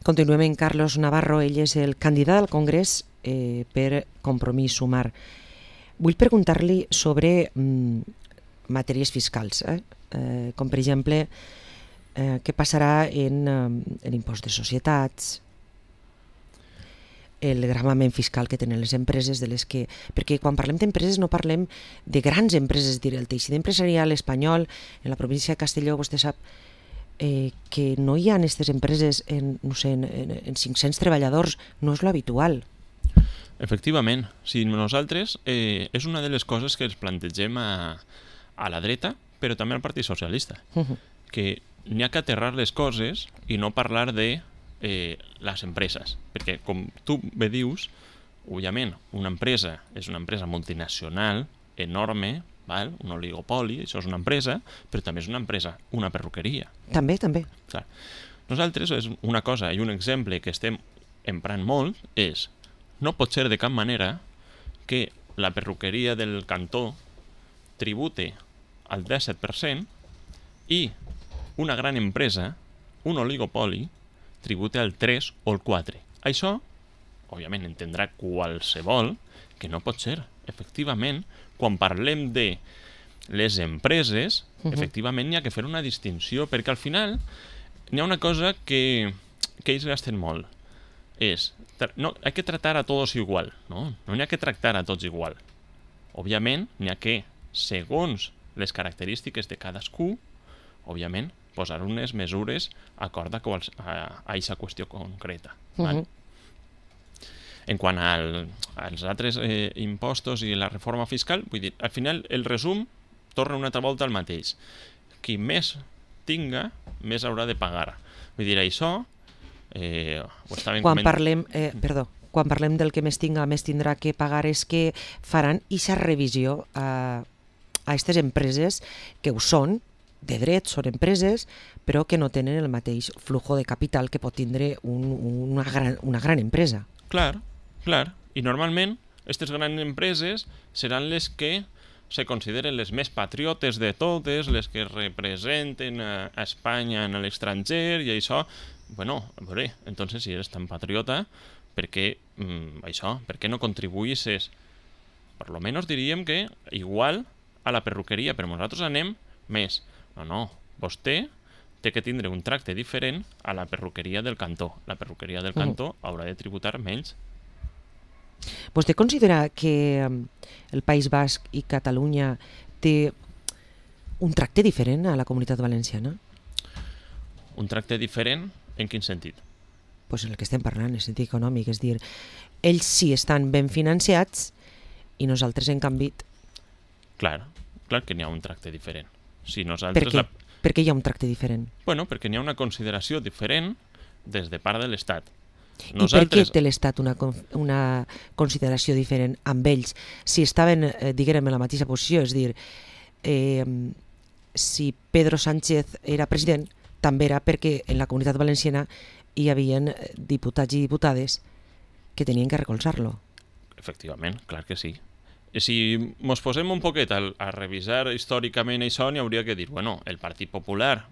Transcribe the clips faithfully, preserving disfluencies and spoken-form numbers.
Continuem en Carlos Navarro, ell és el candidat al Congrés eh, per Compromís Sumar. Vull preguntar-li sobre mm, matèries fiscals, eh? Eh, com per exemple eh, què passarà en eh, l'impost de societats, el gravament fiscal que tenen les empreses, de les que, perquè quan parlem d'empreses no parlem de grans empreses, és dir, el teixit empresarial espanyol, en la província de Castelló, vostè sap eh, que no hi ha aquestes empreses en, no sé, en, en, en cinc-cents treballadors, no és lo habitual. Efectivament, si nosaltres eh, és una de les coses que ens plantegem a, a la dreta, però també al Partit Socialista, uh-huh. que n'hi ha que aterrar les coses i no parlar de eh, les empreses, perquè com tu bé dius, òbviament, una empresa és una empresa multinacional enorme, val? Un oligopoli, això és una empresa, però també és una empresa, una perruqueria. També, també. Clar. Nosaltres, és una cosa i un exemple que estem emprant molt és, no pot ser de cap manera que la perruqueria del cantó tribute al disset per cent i una gran empresa, un oligopoli, tribute al tres o el quatre. Això, òbviament, entendrà qualsevol que no pot ser. Efectivament, quan parlem de les empreses, uh-huh. efectivament n'hi ha que fer una distinció, perquè al final n'hi ha una cosa que, que ells gasten molt. És, no, hay que tratar a todos igual, no? No n'hi ha que tractar a tots igual. Òbviament, n'hi ha que, segons les característiques de cadascú, òbviament, posar unes mesures acord a aquesta qüestió concreta. Uh-huh. Val? En quant al, als altres eh, impostos i la reforma fiscal, vull dir, al final el resum torna una altra volta al mateix. Qui més tinga, més haurà de pagar. Vull dir, això... Eh, ho estàvem quan coment... parlem, eh, perdó, quan parlem del que més tinga, més tindrà que pagar, és que faran aquesta revisió a aquestes empreses que ho són, de dret, són empreses, però que no tenen el mateix flujo de capital que pot tindre un, una, gran, una gran empresa. Clar, clar. I normalment, aquestes grans empreses seran les que se consideren les més patriotes de totes, les que representen a Espanya en l'estranger i això... Bueno, a veure, entonces si eres tan patriota, per què mm, això? Per què no contribuïsses? Per lo menos diríem que igual a la perruqueria, però nosaltres anem més. No, no, vostè té que tindre un tracte diferent a la perruqueria del cantó. La perruqueria del cantó uh-huh. haurà de tributar menys. Vostè considera que el País Basc i Catalunya té un tracte diferent a la Comunitat Valenciana? Un tracte diferent? En quin sentit? Pues en el que estem parlant, en el sentit econòmic, és dir, ells sí estan ben financiats i nosaltres, en canvi... Clar, clar que n'hi ha un tracte diferent. Si nosaltres per què? La... Per què hi ha un tracte diferent? Bueno, perquè n'hi ha una consideració diferent des de part de l'Estat. Nosaltres... I per què té l'Estat una, una consideració diferent amb ells? Si estaven, eh, diguem, en la mateixa posició, és dir, eh, si Pedro Sánchez era president, també era perquè en la Comunitat Valenciana hi havia diputats i diputades que tenien que recolzar-lo. Efectivament, clar que sí. Si ens posem un poquet a, a revisar històricament això, n'hi hauria que dir, bueno, el Partit Popular...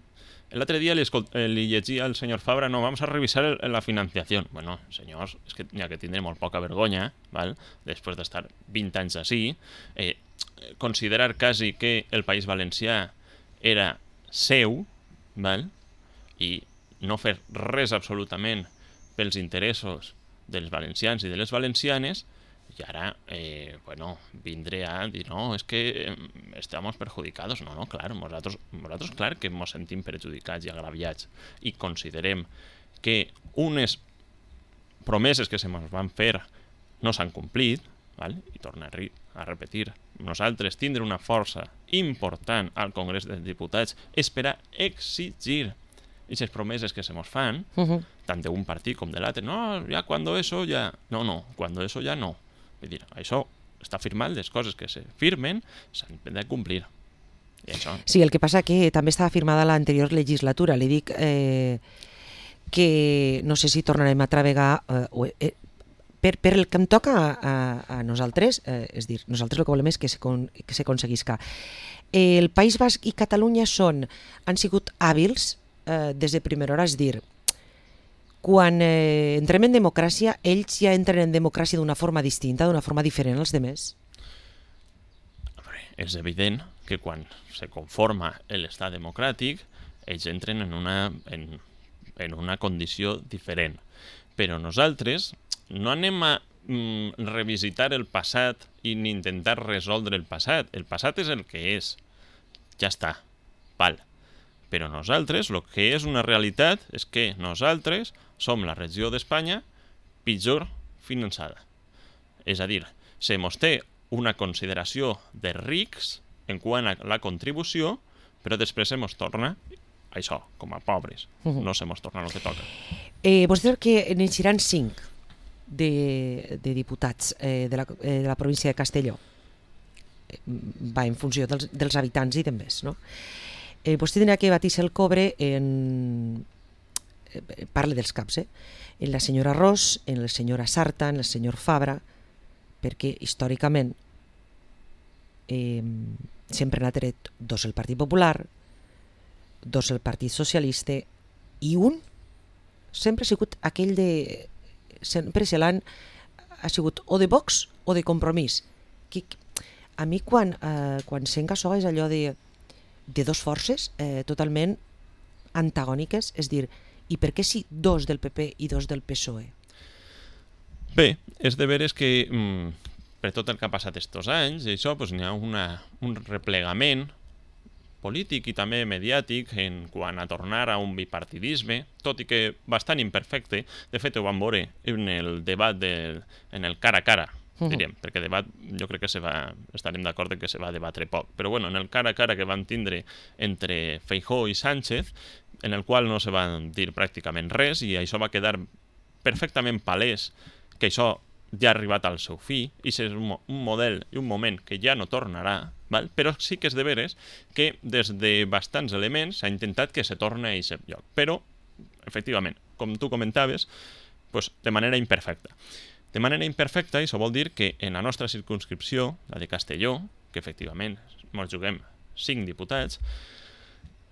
L'altre dia li, li llegia al senyor Fabra, no, vamos a revisar el, la financiació. Bueno, senyors, és que n'hi ha que tindre molt poca vergonya, val? Després d'estar vint anys així, eh, considerar quasi que el País Valencià era seu, val? I no fer res absolutament pels interessos dels valencians i de les valencianes, i ara, eh, bueno, vindré a dir, no, és que eh, estamos perjudicados. No, no, clar, nosaltres, nosaltres clar que ens sentim perjudicats i agraviats i considerem que unes promeses que se ens van fer no s'han complit, val? I tornar a repetir, nosaltres tindre una força important al Congrés dels Diputats és per a exigir aquestes promeses que se nos fan, uh-huh. tant d'un partit com de l'altre. No, ja quan eso ja... No, no, quan eso ja no. Vull dir, això està firmat, les coses que se firmen s'han de complir. I això... Sí, el que passa que també estava firmada l'anterior legislatura. Li dic eh, que no sé si tornarem a travegar... Eh, eh, per, per el que em toca a, a, a nosaltres, eh, és dir, nosaltres el que volem és que s'aconseguisca. El País Basc i Catalunya són, han sigut hàbils eh, des de primera hora, és dir, quan eh, entrem en democràcia, ells ja entren en democràcia d'una forma distinta, d'una forma diferent als demés? És evident que quan se conforma l'estat democràtic, ells entren en una, en, en una condició diferent. Però nosaltres no anem a mm, revisitar el passat i ni intentar resoldre el passat. El passat és el que és. Ja està. Val. Però nosaltres, el que és una realitat és que nosaltres som la regió d'Espanya pitjor finançada. És a dir, se mos té una consideració de rics en quant a la contribució, però després se mos torna això, com a pobres. Uh-huh. No se mos torna el que toca. Eh, vostè diu que n'eixiran cinc de, de diputats eh, de, la, eh, de la província de Castelló. Va en funció dels, dels habitants i demés, no? Eh, vostè tindrà que batir-se el cobre en... Eh, parle dels caps, eh? En la senyora Ros, en la senyora Sarta, en el senyor Fabra, perquè històricament eh, sempre n'ha tret dos el Partit Popular, dos el Partit Socialista i un sempre ha sigut aquell de... sempre se l'han ha sigut o de Vox o de Compromís. Que, a mi quan, eh, quan sent això és allò de, de dos forces eh, totalment antagòniques, és dir, i per què si dos del P P i dos del P S O E? Bé, és de veres que mm, per tot el que ha passat estos anys, i això pues, n'hi ha una, un replegament polític i també mediàtic en quant a tornar a un bipartidisme, tot i que bastant imperfecte. De fet, ho vam veure en el debat, de, en el cara a cara, uh-huh. diríem, perquè debat jo crec que se va, estarem d'acord que se va debatre poc, però bueno, en el cara a cara que van tindre entre Feijóo i Sánchez, en el qual no se va dir pràcticament res, i això va quedar perfectament palès que això ja ha arribat al seu fi, i és un, un model i un moment que ja no tornarà, val? Però sí que és de veres que des de bastants elements s'ha intentat que se torni a aquest lloc. Però, efectivament, com tu comentaves, pues, de manera imperfecta. De manera imperfecta, això vol dir que en la nostra circumscripció, la de Castelló, que efectivament ens juguem cinc diputats,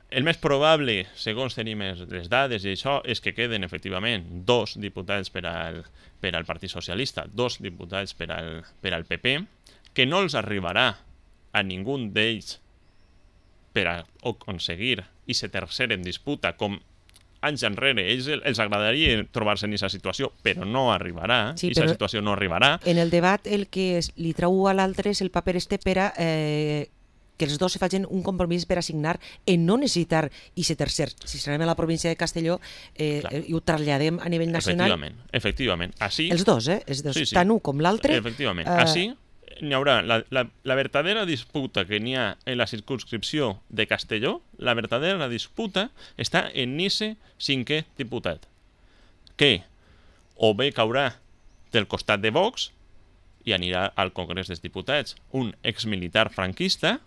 el més probable, segons tenim les dades i això, és que queden efectivament dos diputats per al, per al Partit Socialista, dos diputats per al, per al P P, que no els arribarà a ningú d'ells per a aconseguir i ser tercer en disputa, com anys enrere. Ells els agradaria trobar-se en aquesta situació, però no arribarà, sí, i aquesta situació no arribarà. En el debat el que li trau a l'altre és el paper este per a... Eh... que els dos se facin un compromís per assignar en no necessitar i ser tercer. Si serem a la província de Castelló eh, i ho traslladem a nivell nacional... Efectivament, efectivament. Així, els dos, eh? És dos, sí, sí. Tant un com l'altre... Efectivament. Eh... Així n'hi haurà la, la, la verdadera disputa que n'hi ha en la circunscripció de Castelló, la verdadera disputa està en ese cinquè diputat, que o bé caurà del costat de Vox i anirà al Congrés dels Diputats un exmilitar franquista,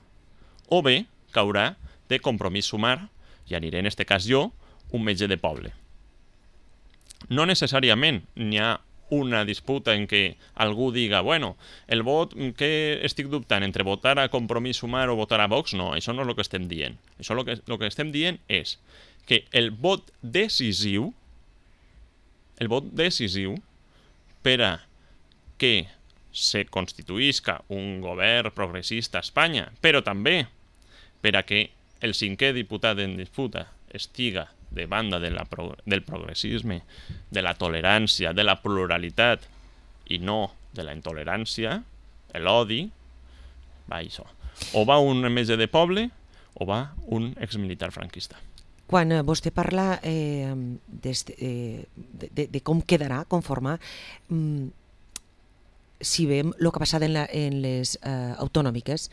o bé caurà de Compromís Sumar, i aniré en este cas jo, un metge de poble. No necessàriament n'hi ha una disputa en què algú diga, bueno, el vot que estic dubtant entre votar a Compromís Sumar o votar a Vox, no, això no és el que estem dient. Això el que, el que estem dient és que el vot decisiu, el vot decisiu per a que se constituïsca un govern progressista a Espanya, però també per a que el cinquè diputat en disputa estiga de banda de la pro del progressisme, de la tolerància, de la pluralitat i no de la intolerància, l'odi, va això. O va un metge de poble o va un exmilitar franquista. Quan vostè parla eh, de, de, de, de com quedarà conformar, mm, si veiem el que ha passat en, la, en les eh, autonòmiques,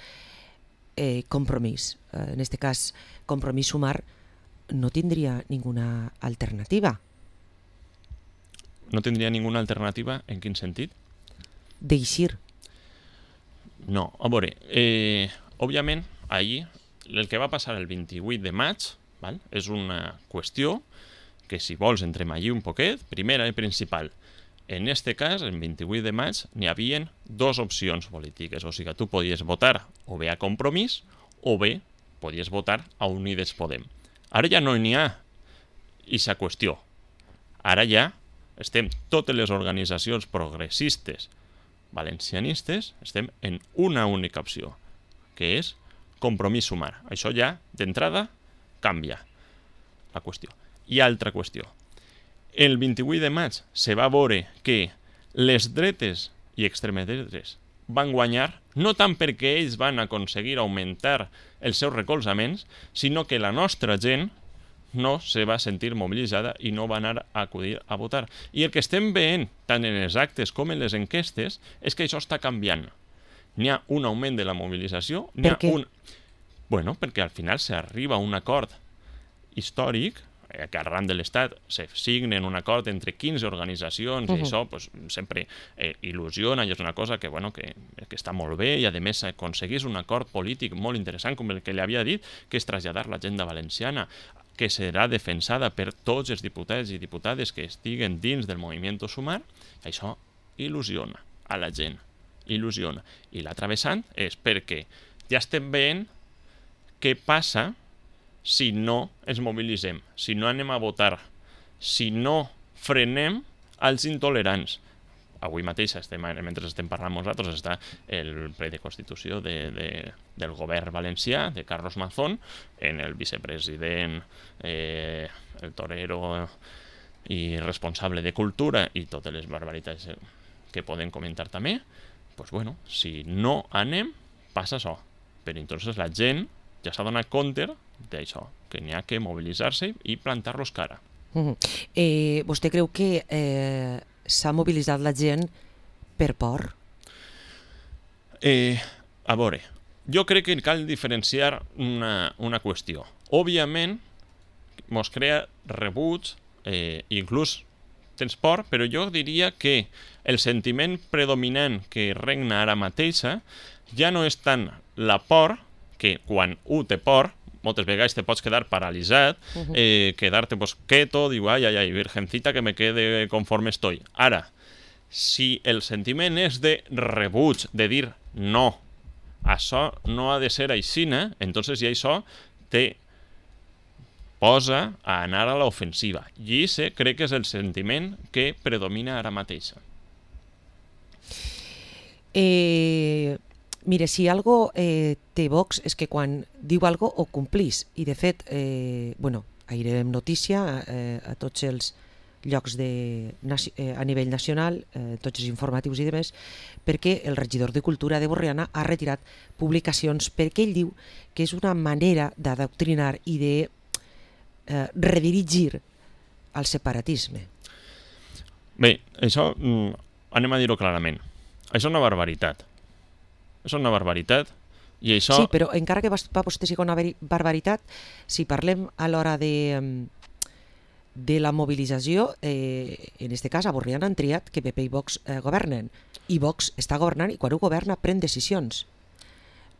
eh, Compromís, eh, en aquest cas Compromís Sumar, no tindria ninguna alternativa. No tindria ninguna alternativa? En quin sentit? D'eixir. No, a veure, eh, òbviament, ahir, el que va passar el vint-i-vuit de maig, val? És una qüestió que, si vols, entrem allí un poquet, primera i principal. En este cas, el vint-i-vuit de maig, n'hi havia dues opcions polítiques. O sigui, tu podies votar o bé a Compromís o bé podies votar a Unides Podem. Ara ja no n'hi ha aquesta qüestió. Ara ja estem, totes les organitzacions progressistes valencianistes, estem en una única opció, que és Compromís Sumar. Això ja, d'entrada, canvia la qüestió. I altra qüestió. El vint-i-vuit de maig se va veure que les dretes i extremes dretes van guanyar, no tant perquè ells van aconseguir augmentar els seus recolzaments, sinó que la nostra gent no se va sentir mobilitzada i no va anar a acudir a votar. I el que estem veient, tant en els actes com en les enquestes, és que això està canviant. N'hi ha un augment de la mobilització, n'hi ha un... Bueno, perquè al final s'arriba a un acord històric, que arran de l'Estat se signen un acord entre quinze organitzacions, uh-huh. i això pues, sempre eh, il·lusiona, i és una cosa que, bueno, que, que està molt bé, i a més aconseguís un acord polític molt interessant, com el que li havia dit, que és traslladar l'agenda valenciana, que serà defensada per tots els diputats i diputades que estiguen dins del moviment Sumar. Això il·lusiona a la gent, il·lusiona. I l'altre vessant és perquè ja estem veient què passa si no ens mobilitzem, si no anem a votar, si no frenem els intolerants. Avui mateix, estem, mentre estem parlant nosaltres, està el ple de Constitució de, de, del govern valencià, de Carlos Mazón, en el vicepresident, eh, el torero i responsable de Cultura, i totes les barbaritats que podem comentar també. Pues bueno, si no anem, passa això. Però entonces la gent ja s'ha donat compte d'això, que n'hi ha que mobilitzar-se i plantar-los cara. Uh-huh. Eh, vostè creu que eh, s'ha mobilitzat la gent per por? Eh, a veure, jo crec que cal diferenciar una, una qüestió. Òbviament, mos crea rebuig, eh, inclús tens por, però jo diria que el sentiment predominant que regna ara mateixa ja no és tant la por, que quan un té por, moltes vegades te pots quedar paralitzat, uh-huh. eh, quedar-te pues, quieto, diu, ai, ai, ai, virgencita, que me quede conforme estoy. Ara, si el sentiment és de rebuig, de dir no, això no ha de ser aixina, entonces ja això te posa a anar a l'ofensiva. I ese crec que és el sentiment que predomina ara mateixa. Eh... Mire, si algo eh, té Vox és que quan diu algo ho complís. I de fet, eh, bueno, airem notícia eh, a tots els llocs de, eh, a nivell nacional, eh, tots els informatius i demés, perquè el regidor de Cultura de Borriana ha retirat publicacions perquè ell diu que és una manera d'adoctrinar i de eh, redirigir el separatisme. Bé, això mm, anem a dir-ho clarament. Això és una barbaritat. És una barbaritat i això... Sí, però encara que va vostè sigui una barbaritat, si parlem a l'hora de, de la mobilització, eh, en aquest cas a Borriana han triat que P P i Vox eh, governen, i Vox està governant i quan ho governa pren decisions.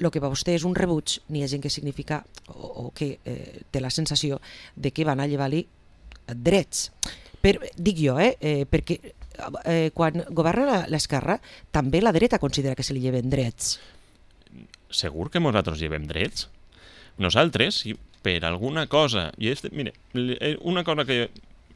El que per vostè és un rebuig, n'hi ha gent que significa o, o que eh, té la sensació de que van a llevar-li drets. Per, dic jo, eh, eh, perquè eh, quan governa l'esquerra també la dreta considera que se li lleven drets. Segur que nosaltres llevem drets? Nosaltres, si per alguna cosa... I és, mire, una cosa que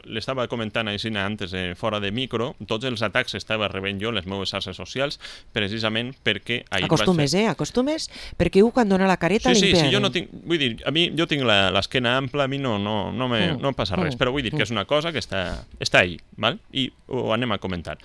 l'estava comentant així antes, eh, fora de micro, tots els atacs estava rebent jo en les meves xarxes socials, precisament perquè... Acostumes, fer... eh? Acostumes, perquè un quan dona la careta sí, li sí, sí, jo no tinc... Vull dir, a mi, jo tinc l'esquena ampla, a mi no, no, no, me, mm. no em passa res, mm. però vull dir que és una cosa que està, està ahí, val? I ho anem a comentar.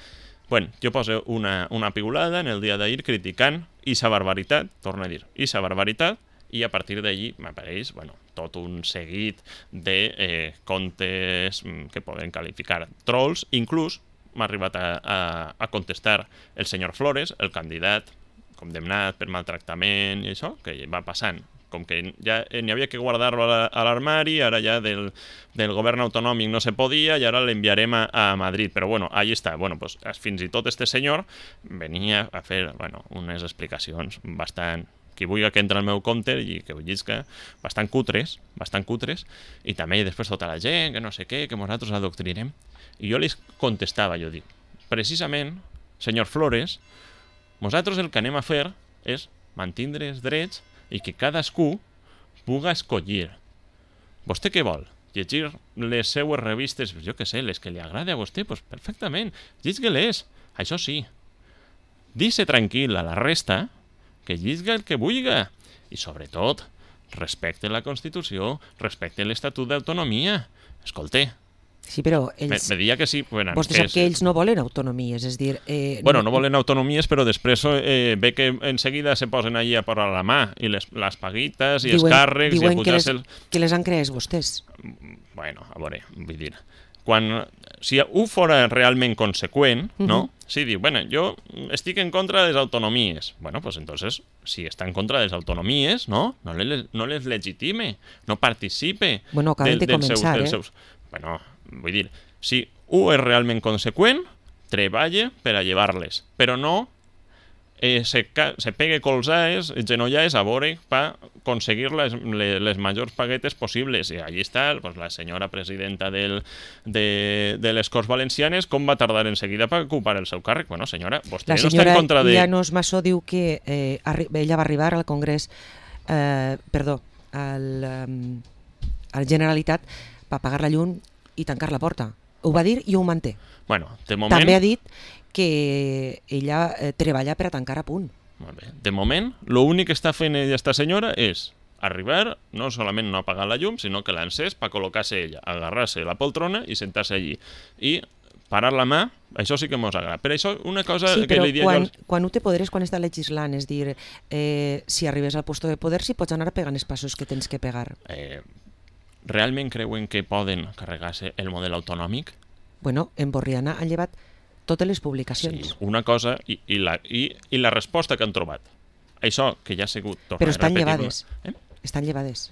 Bueno, jo poso una, una piulada en el dia d'ahir criticant ixa barbaritat, torno a dir, ixa barbaritat, i a partir d'allí m'apareix bueno, tot un seguit de eh, contes que poden qualificar trolls. Inclús m'ha arribat a, a, a contestar el senyor Flores, el candidat condemnat per maltractament i això, que va passant. Com que ja n'hi havia que guardar-lo a l'armari, ara ja del, del govern autonòmic no se podia i ara l'enviarem a, a Madrid. Però bueno, allà està. Bueno, pues, fins i tot este senyor venia a fer bueno, unes explicacions bastant... qui vulgui que entra al meu compte i que ho llisca, bastant cutres, bastant cutres, i també després tota la gent, que no sé què, que nosaltres adoctrinem. I jo li contestava, jo dic, precisament, senyor Flores, nosaltres el que anem a fer és mantindre els drets i que cadascú puga escollir. Vostè què vol? llegir les seues revistes, jo què sé, les que li agrada a vostè, pues perfectament, llisgue-les. Això sí, deixe tranquil a la resta que llisga el que vulga. I sobretot, respecte la Constitució, respecte l'Estatut d'Autonomia. Escolta, sí, però ells... me deia que sí. Bueno, vostè sap que ells no volen autonomies, és dir... Eh, bueno, no volen autonomies, però després eh, ve que en seguida se posen allí a posar la mà, i les, les paguites, i diuen, els càrrecs, diuen i que les, el... que les han creat vostès. Bueno, a veure, vull dir... Quan, si ho fora realment conseqüent, uh -huh. no? Si diu, bueno, jo estic en contra de les autonomies. Bueno, pues entonces, si està en contra de les autonomies, no? No les, no les legitime, no participe. Bueno, acaben de, de començar, seus, eh? seus... Bueno, vull dir, si ho és realment conseqüent, treballa per a llevar-les, però no eh, se, se pegue colzades, genollades a veure per aconseguir les, les, les majors paguetes possibles. I allí està pues, la senyora presidenta del, de, de les Corts Valencianes, com va tardar en seguida per ocupar el seu càrrec. Bueno, senyora, vostè la no està en contra de... La senyora Llanos Massó diu que eh, ella va arribar al Congrés, eh, perdó, al, um, a la Generalitat per pagar la llum i tancar la porta. Ho va dir i ho manté. Bueno, de moment... També ha dit que ella eh, treballa per a tancar a punt. Molt bé. De moment, l'únic que està fent ella, esta senyora, és arribar, no solament no apagar la llum, sinó que l'encés per col·locar-se ella, agarrar-se la poltrona i sentar-se allí. I parar la mà, això sí que mos agrada. Per això, una cosa sí, que li dia quan, jo... Als... quan ho té poder és quan està legislant, és dir, eh, si arribes al puesto de poder, si pots anar pegant els passos que tens que pegar. Eh, realment creuen que poden carregar-se el model autonòmic? Bueno, en Borriana han llevat totes les publicacions. Sí, una cosa i, i, la, i, i la resposta que han trobat. Això que ja ha sigut... Però estan llevades. Eh? Estan llevades.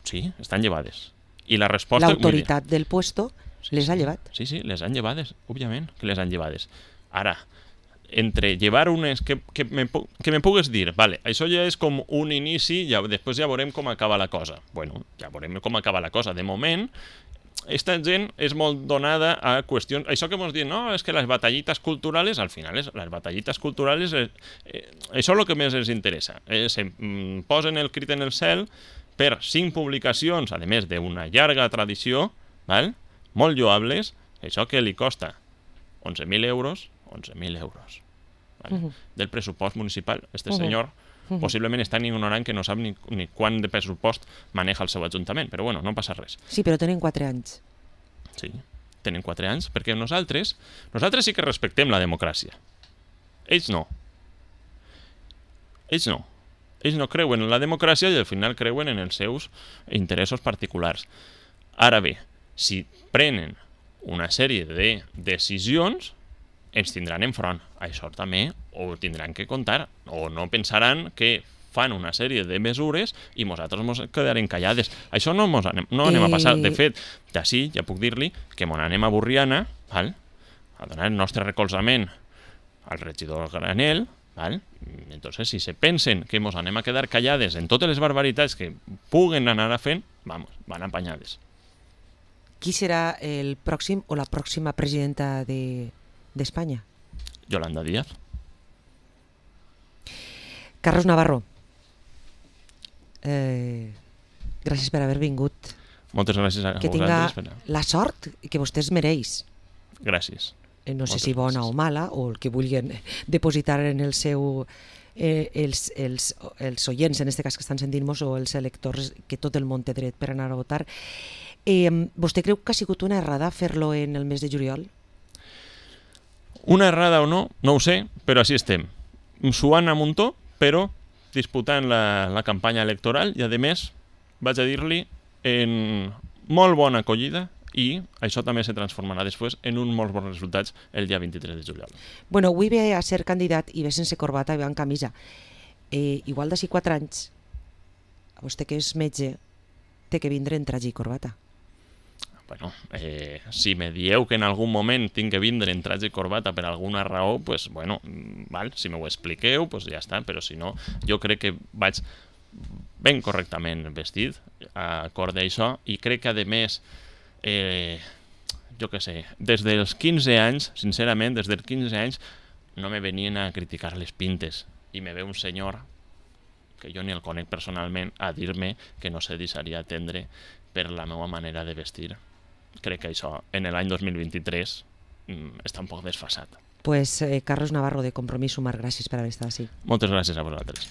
Sí, estan llevades. I la resposta... L'autoritat del puesto sí, les sí, ha llevat. Sí, sí, les han llevades, òbviament que les han llevades. Ara, entre llevar unes que, que, me, que me pugues dir, vale, això ja és com un inici, ja, després ja veurem com acaba la cosa. Bueno, ja veurem com acaba la cosa. De moment, esta gent és molt donada a qüestions... Això que ens diuen, no, és que les batallites culturals, al final, és, les batallites culturals, eh, eh, això és el que més els interessa. Eh, se mm, posen el crit en el cel per cinc publicacions, a més d'una llarga tradició, val? Molt lloables, això que li costa onze mil euros, onze mil euros, val? Uh -huh. del pressupost municipal. Este uh -huh. senyor uh -huh. possiblement és tan ignorant que no sap ni, ni quant de pressupost maneja el seu ajuntament, però bueno, no passa res. Sí, però tenen quatre anys. Sí, tenen quatre anys, perquè nosaltres, nosaltres sí que respectem la democràcia. Ells no. Ells no. Ells no creuen en la democràcia i al final creuen en els seus interessos particulars. Ara bé, si prenen una sèrie de decisions, ens tindran enfront. Això també ho tindran que comptar, o no pensaran que fan una sèrie de mesures i nosaltres ens quedarem callades. Això no, mos anem, no anem a passar. De fet, d'ací ja puc dir-li que mon anem a Borriana, val? A donar el nostre recolzament al regidor Granel, val? Entonces, si se pensen que mos anem a quedar callades en totes les barbaritats que puguen anar a fent, vamos, van apanyades. Qui serà el pròxim o la pròxima presidenta de d'Espanya? Yolanda Díaz. Carlos Navarro, eh, gràcies per haver vingut. Moltes gràcies a que vosaltres. Que tinga la sort que vostè es mereix. Gràcies. Eh, no sé Moltes si bona gràcies. o mala, o el que vulguin depositar en el seu... Eh, els, els, els oients, en aquest cas que estan sentint-nos, o els electors, que tot el món té dret per anar a votar. Eh, vostè creu que ha sigut una errada fer-lo en el mes de juliol? Una errada o no, no ho sé, però així estem. Suant a muntó, però disputant la, la campanya electoral i, a més, vaig a dir-li en molt bona acollida i això també se transformarà després en un molt bons resultats el dia vint-i-tres de juliol. Bueno, avui ve a ser candidat i ve sense corbata i ve en camisa. Eh, igual d'ací quatre anys, vostè que és metge, té que vindre en traje i corbata. Bueno, eh, si me dieu que en algun moment tinc que vindre en traje i corbata per alguna raó, pues bueno, val, si m'ho expliqueu, pues ja està, però si no, jo crec que vaig ben correctament vestit, a acord d'això, i crec que, a més, eh, jo què sé, des dels quinze anys, sincerament, des dels quinze anys, no me venien a criticar les pintes, i me ve un senyor, que jo ni el conec personalment, a dir-me que no se deixaria atendre per la meva manera de vestir. Crec que això, en l'any dos mil vint-i-tres, està un poc desfasat. Pues eh, Carlos Navarro, de Compromís Sumar, gràcies per haver estat així. Moltes gràcies a vosaltres.